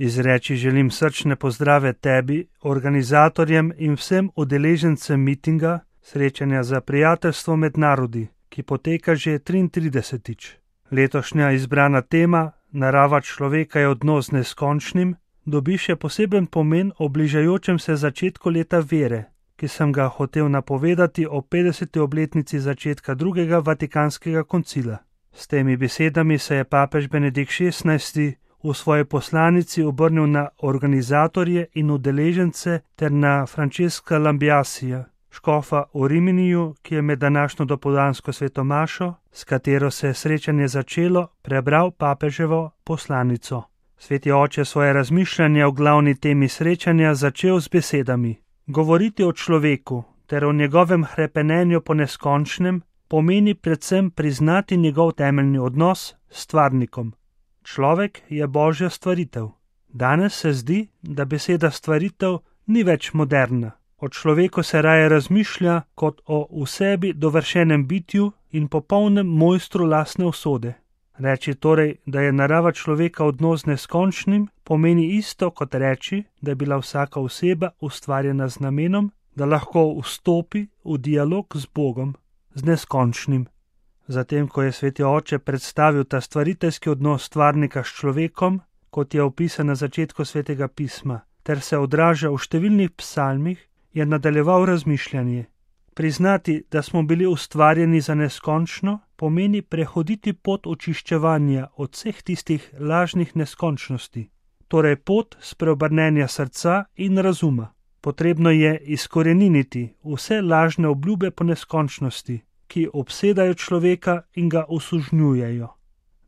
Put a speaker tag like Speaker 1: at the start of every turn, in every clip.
Speaker 1: Izreči želim srčne pozdrave tebi, organizatorjem in vsem udeležencem mitinga, srečanja za prijateljstvo med narodi, ki poteka že 33. Letošnja izbrana tema, narava človeka je odnos z neskončnim, dobi še poseben pomen ob bližajočem se začetku leta vere, ki sem ga hotel napovedati o 50. obletnici začetka drugega Vatikanskega koncila. S temi besedami se je papež Benedikt XVI v svoji poslanici obrnil na organizatorje in udeležence ter na Francesca Lambiasija, škofa v Riminiju, ki je med današnjo dopoldansko svetomašo, s katero se je srečanje začelo, prebral papeževo poslanico. Sveti oče svoje razmišljanje o glavni temi srečanja začel z besedami: govoriti o človeku ter o njegovem hrepenenju po neskončnem pomeni predvsem priznati njegov temeljni odnos s stvarnikom. Človek je Božja stvaritev. Danes se zdi, da beseda stvaritev ni več moderna. O človeku se raje razmišlja kot o v sebi dovršenem bitju in popolnem mojstru lastne usode. Reči torej, da je narava človeka odnos z neskončnim, pomeni isto kot reči, da je bila vsaka oseba ustvarjena z namenom, da lahko vstopi v dialog z Bogom, z neskončnim. Zatem, ko je sveti oče predstavil ta stvariteljski odnos stvarnika s človekom, kot je opisan na začetku svetega pisma, ter se odraža v številnih psalmih, je nadaljeval razmišljanje. Priznati, da smo bili ustvarjeni za neskončno, pomeni prehoditi pot očiščevanja od vseh tistih lažnih neskončnosti, torej pot spreobrnenja srca in razuma. Potrebno je izkoreniniti vse lažne obljube po neskončnosti, ki obsedajo človeka in ga osužnjujejo.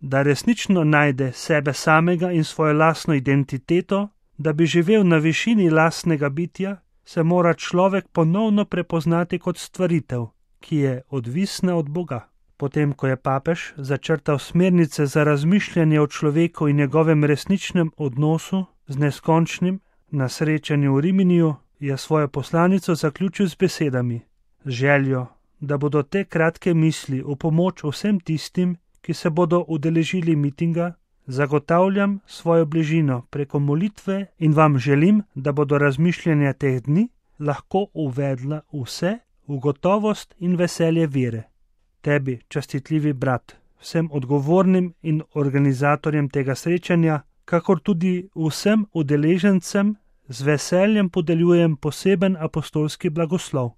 Speaker 1: Da resnično najde sebe samega in svojo lastno identiteto, da bi živel na višini lastnega bitja, se mora človek ponovno prepoznati kot stvaritev, ki je odvisna od Boga. Potem, ko je papež začrtal smernice za razmišljanje o človeku in njegovem resničnem odnosu z neskončnim na srečanju v Riminiju, je svojo poslanico zaključil z besedami: z željo, da bodo te kratke misli v pomoč vsem tistim, ki se bodo udeležili mitinga, zagotavljam svojo bližino preko molitve in vam želim, da bodo razmišljanja teh dni lahko uvedla vse v gotovost in veselje vere. Tebi, častitljivi brat, vsem odgovornim in organizatorjem tega srečanja, kakor tudi vsem udeležencem, z veseljem podeljujem poseben apostolski blagoslov.